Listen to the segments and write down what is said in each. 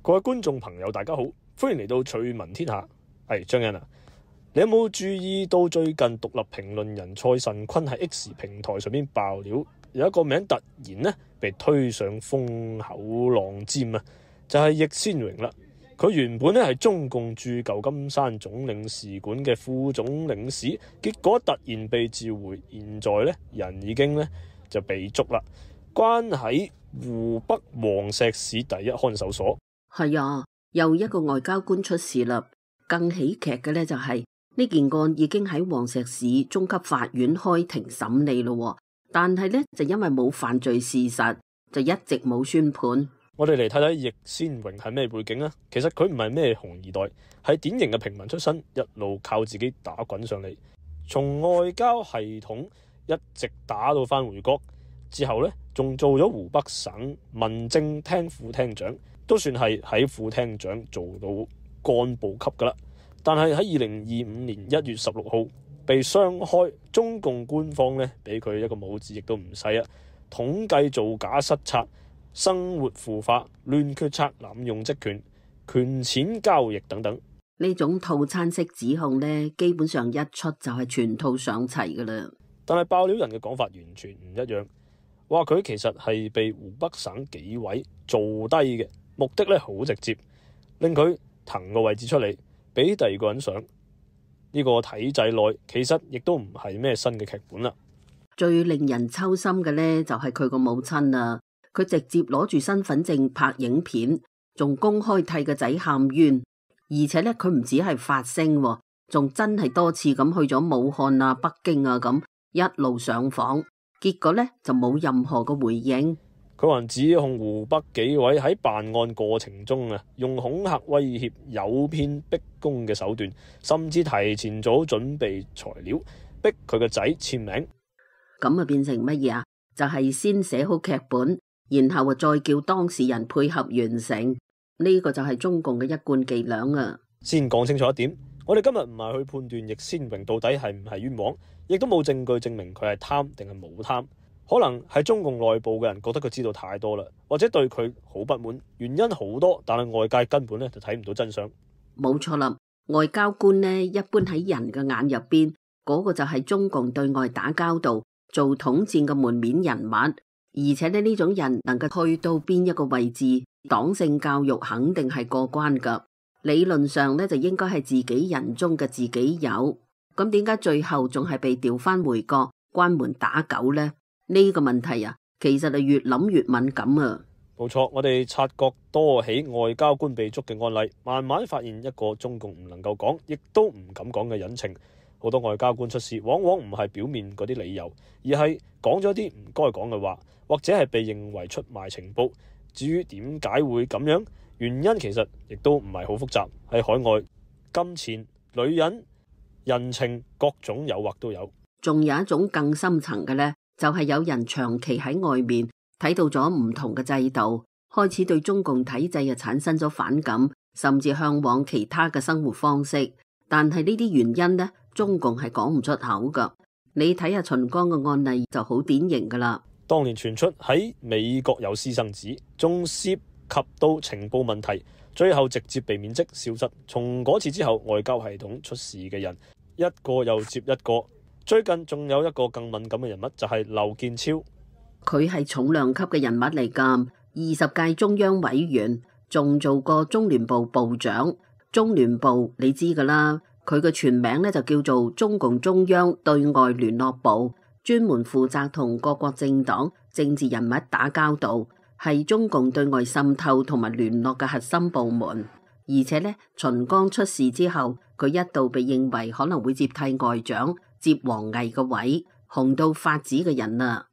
各位觀眾朋友，大家好，歡迎嚟到趣聞天下。係張欣啊，你有冇注意到最近獨立評論人蔡慎坤喺 X 平台上面爆料，有一個名突然呢被推上風口浪尖啊，就係易先榮啦。佢原本呢係中共駐舊金山總領事館嘅副總領事，結果突然被召回，現在呢人已經呢就被捉啦，關喺湖北黃石市第一看守所。係啊，又一個外交官出事啦。更喜劇嘅呢就係呢件案已經喺黃石市中級法院開庭審理咯，但係呢就因為冇犯罪事實，就一直冇宣判。我哋嚟睇睇易先榮係咩背景啊？其實佢唔係咩紅二代，係典型嘅平民出身，一路靠自己打滾上嚟，從外交系統一直打到返回國之後呢，仲做咗湖北省民政廳副廳長，都算係喺副廳長做到幹部級噶啦。但係喺2025年1月16號被雙開，中共官方呢俾佢一個帽子亦都唔細啊，統計造假失策、生活腐化、亂決策、濫用職權、權錢交易等等。呢種套餐式指控呢，基本上一出就係全套上齊噶啦。但係爆料人嘅講法完全唔一樣，話佢其實係被湖北省紀委做低嘅，目的咧好直接，令佢騰個位置出嚟俾第二個人上。呢個體制內其實亦都唔係咩新嘅劇本啦。最令人揪心嘅呢，就係佢個母親啊，佢直接攞住身份證拍影片，仲公開替個仔喊冤，而且呢，佢唔止係發聲，仲真係多次咁去咗武漢啊、北京啊咁一路上訪，結果呢，就冇任何嘅回應。佢還指控湖北紀委喺辦案過程中啊，用恐嚇、威脅、誘騙、逼供嘅手段，甚至提前早準備材料，逼佢個仔簽名。咁啊變成乜嘢啊？就係先寫好劇本，然後啊再叫當事人配合完成。呢個就係中共嘅一貫伎倆啊！先講清楚一點，我哋今日唔係去判斷易先榮到底係唔係冤枉，亦都冇證據證明佢係貪定係冇貪。可能係中共內部嘅人覺得佢知道太多啦，或者對佢好不滿，原因好多，但係外界根本咧就睇唔到真相。冇錯啦，外交官呢一般喺人嘅眼入邊，嗰個就係中共對外打交道、做統戰嘅門面人物，而且呢種人能夠去到邊一個位置，黨性教育肯定係過關噶。理論上呢就應該係自己人中嘅自己有，咁點解最後仲係被調翻回國關門打狗呢？呢個問題啊，其實係越諗越敏感啊！冇錯，我哋察覺多起外交官被捉嘅案例，慢慢發現一個中共唔能夠講，亦都唔敢講嘅隱情。好多外交官出事，往往唔係表面嗰啲理由，而係講咗啲唔該講嘅話，或者係被認為出賣情報。至於點解會咁樣，原因其實亦都唔係好複雜，喺海外金錢、女人、人情各種誘惑都有。仲有一種更深層嘅呢，就係有人長期喺外面睇到咗唔同嘅制度，開始對中共體制啊產生咗反感，甚至向往其他嘅生活方式。但係呢啲原因呢，中共係講唔出口噶。你睇下秦剛嘅案例就好典型噶啦。當年傳出喺美國有私生子，仲涉及到情報問題，最後直接被免職消失。從嗰次之後，外交系統出事嘅人一個又接一個。最近仲有一個更敏感嘅人物，就係劉建超。佢係重量級嘅人物嚟㗎，20屆中央委員，仲做過中聯部部長。中聯部你知㗎啦，佢嘅全名呢就叫做中共中央對外聯絡部，專門負責同各國政黨、政治人物打交道，係中共對外滲透同埋聯絡嘅核心部門。而且呢，秦剛出事之後，佢一度被認為可能會接替外長，接王毅嘅位，紅到發紫嘅人啊！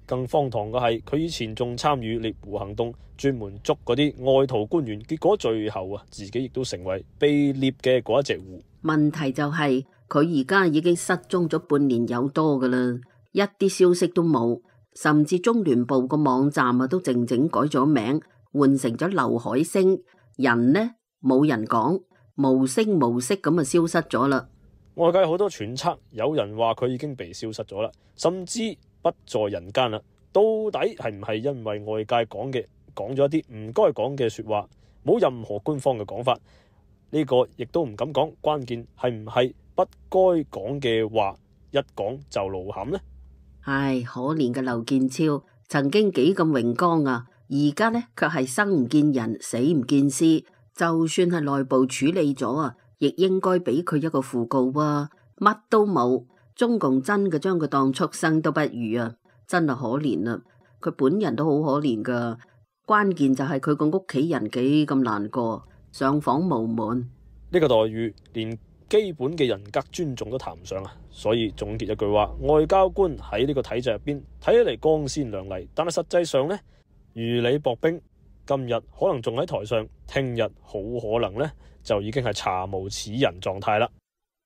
更荒唐嘅係，佢以前仲參與獵狐行動，專門捉嗰啲外逃官員，結果最後啊，自己亦都成為被獵嘅嗰一隻狐。問題就係佢而家已經失蹤咗半年有多噶啦，一啲消息都冇，甚至中聯部個網站啊都靜靜改咗名，換成咗劉海星，人呢冇人講，無聲無息咁啊消失咗啦。外界好多揣測，有人話佢已經被消失咗啦，甚至不在人間啦。到底係唔係因為外界講咗一啲唔該講嘅說話，冇任何官方嘅講法。呢個亦都唔敢講，關鍵係唔係不該講嘅話，一講就露餡呢？唉，可憐嘅劉建超曾經幾咁榮光啊，而家呢卻係生唔見人，死唔見屍。就算係內部處理咗啊，亦應該俾佢一個訃告啊！乜都冇，中共真嘅將佢當畜生都不如啊！真係可憐啊！佢本人都好可憐噶，關鍵就係佢個屋企人幾咁難過，上訪無門。呢個待遇連基本嘅人格尊重都談唔上啊！所以總結一句話，外交官喺呢個體制入邊睇起嚟光鮮亮麗，但係實際上呢，如履薄冰。今日可能仲喺台上，聽日好可能呢就已經係查無此人狀態啦。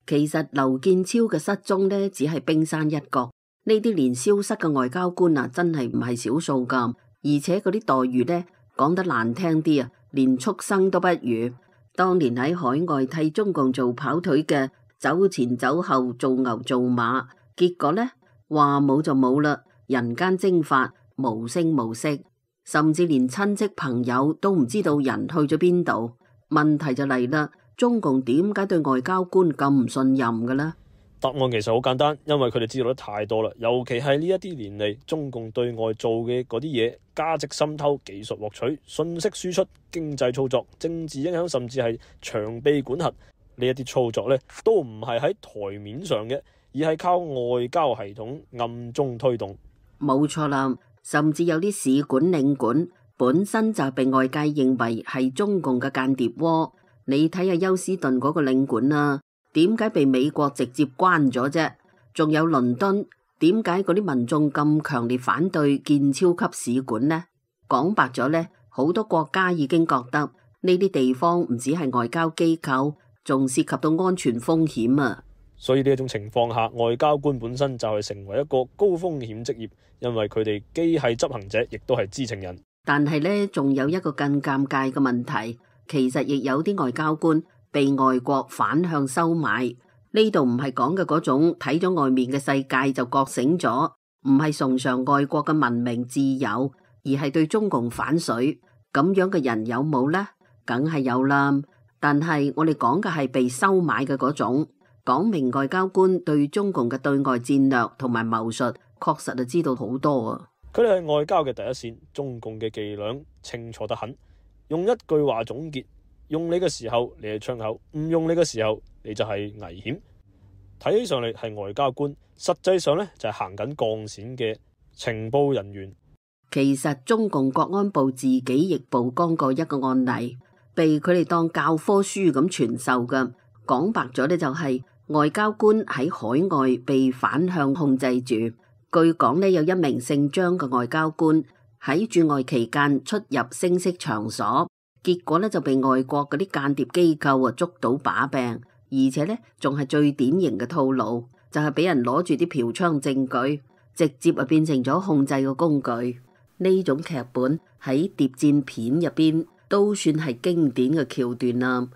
其實劉建超嘅失蹤呢，只係冰山一角。呢啲連消失嘅外交官啊，真係唔係少數噶。而且嗰啲待遇呢，講得難聽啲啊，連畜生都不如。當年喺海外替中共做跑腿嘅，走前走後做牛做馬，結果呢，話冇就冇啦，人間蒸發，無聲無息。甚至連親戚朋友都唔知道人去咗邊度。問題就嚟啦，中共點解對外交官咁唔信任嘅呢？答案其實好簡單，因為佢哋知道得太多啦。尤其係呢一啲年嚟，中共對外做嘅嗰啲嘢，價值滲透、技術獲取、信息輸出、經濟操作、政治影響，甚至係長臂管轄呢一啲操作呢，都唔係喺台面上嘅，而係靠外交系統暗中推動。冇錯啦。甚至有啲使館領館本身就被外界認為係中共嘅間諜窩。你睇下休斯頓嗰個領館啊，點解被美國直接關咗啫？仲有倫敦，點解嗰啲民眾咁強烈反對建超級使館呢？講白咗呢，好多國家已經覺得呢啲地方唔止係外交機構，仲涉及到安全風險啊！所以呢一種情況下，外交官本身就係成為一個高風險職業，因為佢哋既係執行者，亦都係知情人。但係呢，仲有一個更尷尬嘅問題，其實亦有啲外交官被外國反向收買。呢度唔係講嘅嗰種睇咗外面嘅世界就覺醒咗，唔係崇尚外國嘅文明自由，而係對中共反水。咁樣嘅人有冇呢？梗係有啦。但係我哋講嘅係被收買嘅嗰種。講明外交官對中共嘅對外戰略同埋謀術，確實就知道好多啊！佢哋係外交嘅第一線，中共嘅伎倆清楚得很。用一句話總結：用你嘅時候你係窗口，唔用你嘅時候你就係危險。睇起上嚟係外交官，實際上呢就係行緊鋼線嘅情報人員。其實中共國安部自己亦曝光過一個案例，被佢哋當教科書咁傳授嘅。講白咗呢，就係外交官喺海外被反向控制住。據講呢，有一名姓張嘅外交官喺駐外期間出入聲色場所，結果呢就被外國嗰啲間諜機構捉到把柄，而且呢仲係最典型嘅套路，就係俾人攞住啲嫖娼證據，直接變成咗控制嘅工具。呢種劇本喺諜戰片入邊都算係經典嘅橋段啦。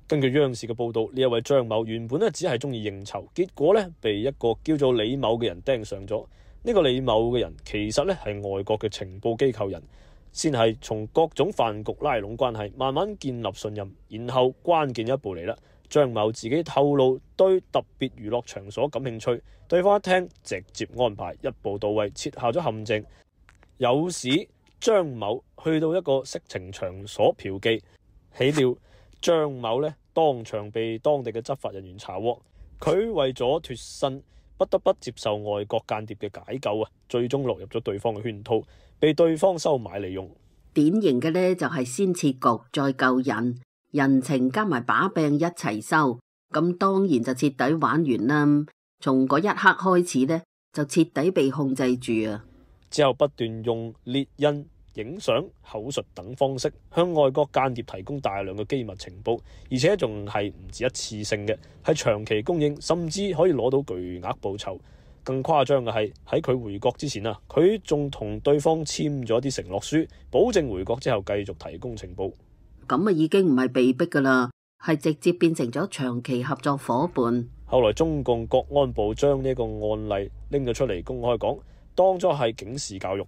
根據央視嘅報道，呢一位張某原本只係中意應酬，結果被一個叫做李某嘅人盯上咗。呢個李某嘅人其實係外國嘅情報機構人，先係從各種飯局拉攏關係，慢慢建立信任。然後關鍵一步嚟啦，張某自己透露對特別娛樂場所感興趣，對方一聽直接安排一步到位，設下咗陷阱，誘使張某去到一個色情場所嫖妓。豈料張某當場被當地嘅執法人員查獲，佢為咗脫身，不得不接受外國間諜嘅解救啊！最終落入咗對方嘅圈套，被對方收買利用。典型嘅呢，就係先設局再救人，人情加埋把柄一齊收，咁當然就徹底玩完啦。從嗰一刻開始呢，就徹底被控制住啊！之後不斷用列印、影相、口述等方式向外國間諜提供大量嘅機密情報，而且仲係唔止一次性嘅，係長期供應，甚至可以攞到巨額報酬。更誇張嘅係喺佢回國之前啊，佢仲同對方簽咗啲承諾書，保證回國之後繼續提供情報。咁啊，已經唔係被逼噶啦，係直接變成咗長期合作伙伴。後來中共國安部將呢個案例拎咗出嚟公開講，當作係警示教育。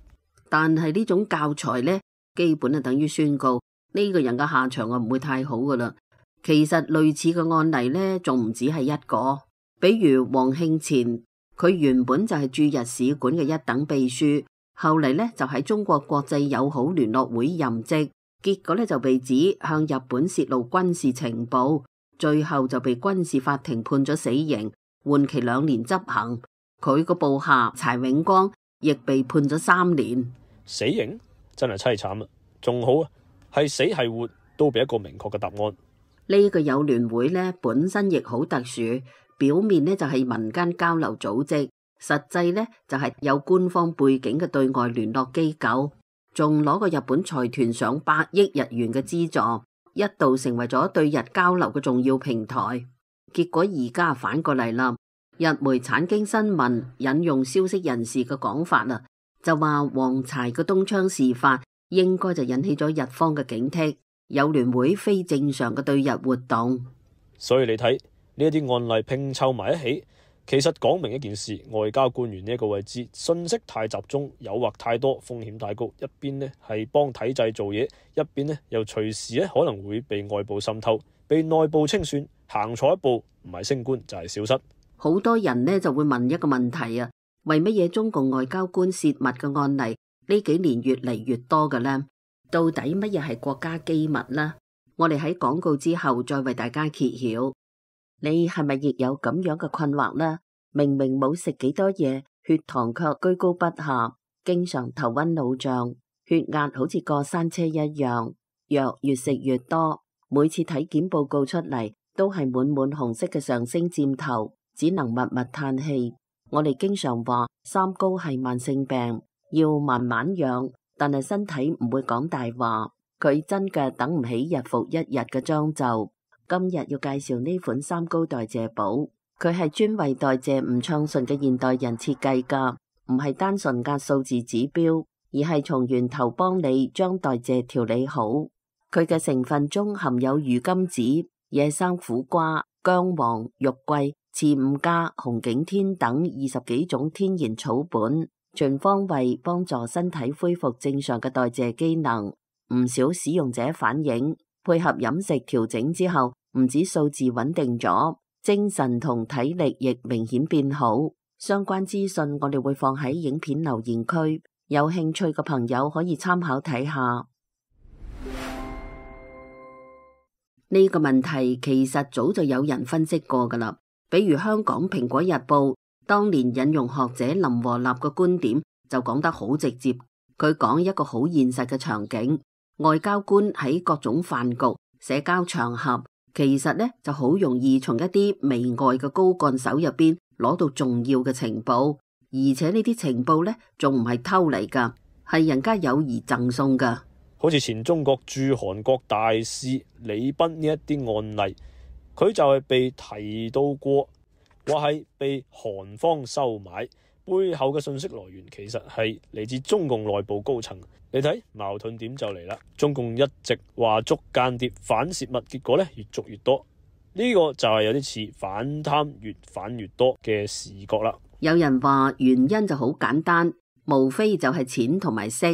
但係呢種教材呢，基本係等於宣告呢個人嘅下場啊唔會太好噶啦。其實類似嘅案例呢，仲唔止係一個，比如黃慶前，佢原本就係駐日使館嘅一等秘書，後嚟呢就喺中國國際友好聯絡會任職，結果呢就被指向日本泄露軍事情報，最後就被軍事法庭判咗死刑，緩期2年執行。佢個部下柴永光亦被判咗3年。死刑真係凄慘啊！仲好啊，係死係活都俾一個明確嘅答案。呢個友聯會呢本身亦好特殊，表面呢就係民間交流組織，實際呢就係有官方背景嘅對外聯絡機構，仲攞過日本財團上100億日元嘅資助，一度成為咗對日交流嘅重要平台。結果而家反過嚟啦，日媒產經新聞引用消息人士嘅講法啦，就話黃柴嘅東窗事發應該就引起咗日方嘅警惕，友聯會非正常嘅對日活動。所以你睇呢一啲案例拼湊埋一起，其實講明一件事：外交官員呢一個位置，信息太集中，誘惑太多，風險太高。一邊呢係幫體制做嘢，一邊呢又隨時可能會被外部滲透，被內部清算。行錯一步，唔係升官就係消失。好多人呢就會問一個問題啊，為乜嘢中共外交官泄密嘅案例呢幾年越嚟越多嘅呢？到底乜嘢係國家機密呢？我哋喺廣告之後再為大家揭曉。你係咪亦有咁樣嘅困惑呢？明明冇食幾多嘢，血糖卻居高不下，經常頭暈腦脹，血壓好似過山車一樣，藥越食越多，每次體檢報告出嚟都係滿滿紅色嘅上升箭頭，只能默默嘆氣。我哋經常話三高係慢性病，要慢慢養，但係身體唔會講大話，佢真嘅等唔起日復一日嘅將就。今日要介紹呢款三高代謝寶，佢係專為代謝唔暢順嘅現代人設計噶，唔係單純壓數字指標，而係從源頭幫你將代謝調理好。佢嘅成分中含有魚甘子、野生苦瓜、薑黃、玉桂、刺五加、紅景天等20幾種天然草本，全方位幫助身體恢復正常嘅代謝機能。唔少使用者反映，配合飲食調整之後，唔止數字穩定咗，精神同體力亦明顯變好。相關資訊我哋會放喺影片留言區，有興趣嘅朋友可以參考睇下。呢個問題其實早就有人分析過噶啦，比如香港蘋果日報當年引用學者林和立嘅觀點，就講得好直接。佢講一個好現實嘅場景，外交官喺各種飯局、社交場合，其實呢就好容易從一啲媚外嘅高幹手入邊攞到重要嘅情報，而且呢啲情報呢仲唔係偷嚟噶，係人家友誼贈送噶。好似前中國駐韓國大使李斌呢一啲案例，佢就係被提到過，話係被韓方收買，背後嘅信息來源其實係嚟自中共內部高層。你睇矛盾點就嚟啦，中共一直話捉間諜反泄密，結果呢越捉越多，呢個就係有啲似反貪越反越多嘅視覺啦。有人話原因就好簡單，無非就係錢同埋色。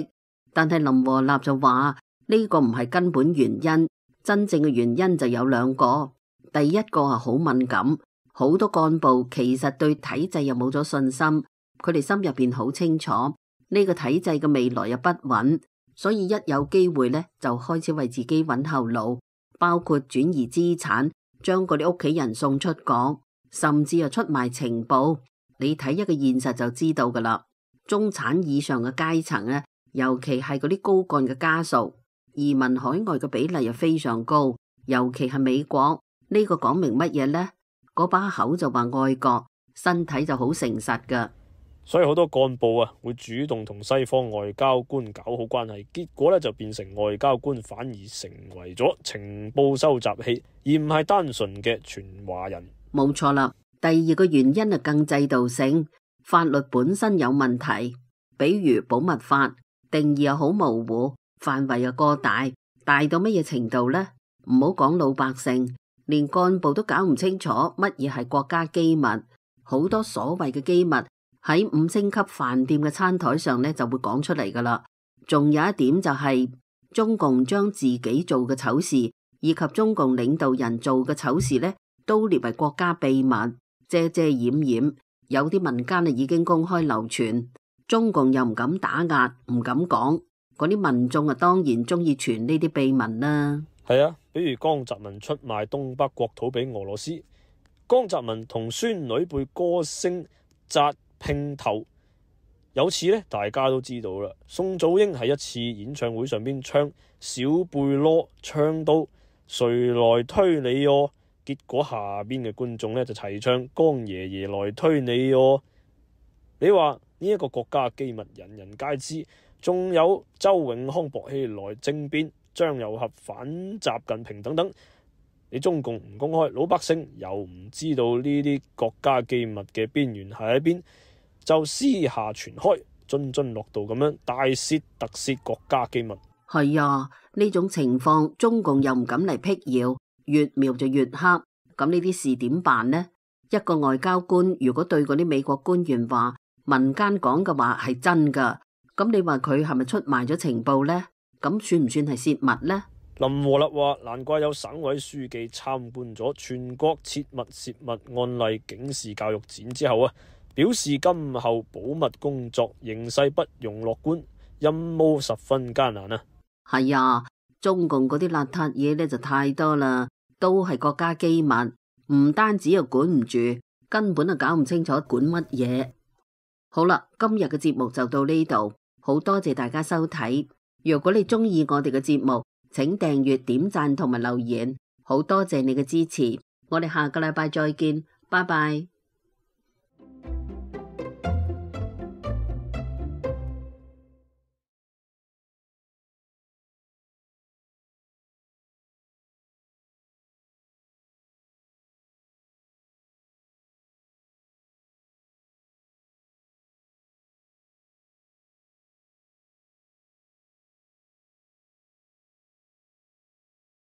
但係林和立就話呢個唔係根本原因，真正嘅原因就有2個。第一個係好敏感，好多幹部其實對體制又冇咗信心，佢哋心入邊好清楚呢個體制嘅未來又不穩，所以一有機會呢，就開始為自己揾後路，包括轉移資產，將嗰啲屋企人送出國，甚至又出賣情報。你睇一個現實就知道噶啦，中產以上嘅階層呢，尤其係嗰啲高幹嘅家屬，移民海外嘅比例又非常高，尤其係美國。呢個講明乜嘢呢？嗰把口就話愛國，身體就好誠實噶。所以好多幹部啊，會主動同西方外交官搞好關係，結果咧就變成外交官反而成為咗情報收集器，而唔係單純嘅傳話人。冇錯啦。第二個原因係更制度性，法律本身有問題，比如保密法定義又好模糊，範圍又過大，大到乜嘢程度呢？唔好講老百姓，連幹部都搞唔清楚乜嘢係國家機密。好多所謂嘅機密喺5星級飯店嘅餐台上呢就會講出嚟噶啦。仲有一點就係中共將自己做嘅醜事以及中共領導人做嘅醜事呢，都列為國家秘密，遮遮掩掩。有啲民間已經公開流傳，中共又唔敢打壓，唔敢講，嗰啲民眾當然中意傳呢啲秘聞啦。係啊，比如江澤民出賣東北國土俾俄羅斯，江澤民同孫女輩歌星紮拼頭。有次呢，大家都知道啦，宋祖英喺一次演唱會上邊唱小貝囉，唱到誰來推你哦，結果下邊嘅觀眾呢就齊唱江爺爺來推你哦。你話呢一個國家機密人人皆知，仲有周永康薄熙來政變、張又俠反習近平等等，你中共唔公開，老百姓又唔知道呢啲國家機密嘅邊緣係喺邊，就私下傳開，津津樂道咁樣大竊特竊國家機密。係啊，呢種情況中共又唔敢嚟闢謠，越描就越黑。咁呢啲事點辦呢？一個外交官如果對嗰啲美國官員話民間講嘅話係真噶，咁你話佢係咪出賣咗情報呢？咁算唔算係泄密呢？林和立話：難怪有省委書記參觀咗全國切勿泄密案例警示教育展之後表示今後保密工作形勢不容樂觀，任務十分艱難啊！係啊，中共嗰啲邋遢嘢呢就太多啦，都係國家機密，唔單止又管唔住，根本就搞唔清楚管乜嘢。好啦，今日嘅節目就到呢度，好多謝大家收睇。如果你中意我哋嘅節目，請訂閱、點讚同埋留言，好多謝你嘅支持。我哋下個禮拜再見，拜拜。